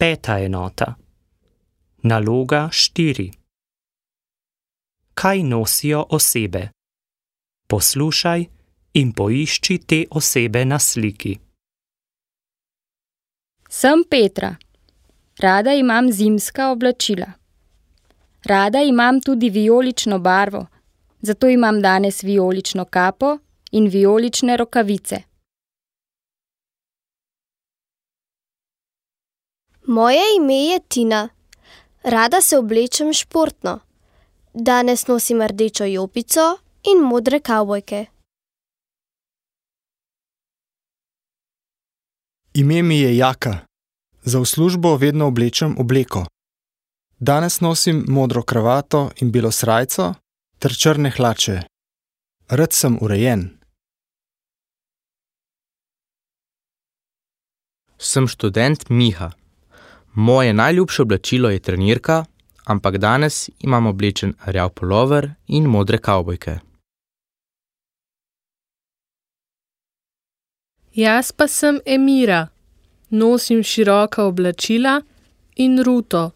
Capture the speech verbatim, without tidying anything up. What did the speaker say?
Peta enota. Naloga štiri. Kaj nosijo osebe? Poslušaj in poišči te osebe na sliki. Sem Petra. Rada imam zimska oblačila. Rada imam tudi vijolično barvo, zato imam danes vijolično kapo in vijolične rokavice. Moje ime je Tina. Rada se oblečem športno. Danes nosim rdečo jopico in modre kavbojke. Ime mi je Jaka. Za v službo vedno oblečem obleko. Danes nosim modro kravato in belo srajco ter črne hlače. Rad sem urejen. Sem študent Miha. Moje najljubše oblačilo je trenirka, ampak danes imam oblečen rjav pulover in modre kavbojke. Jaz pa sem Emira. Nosim široka oblačila in ruto.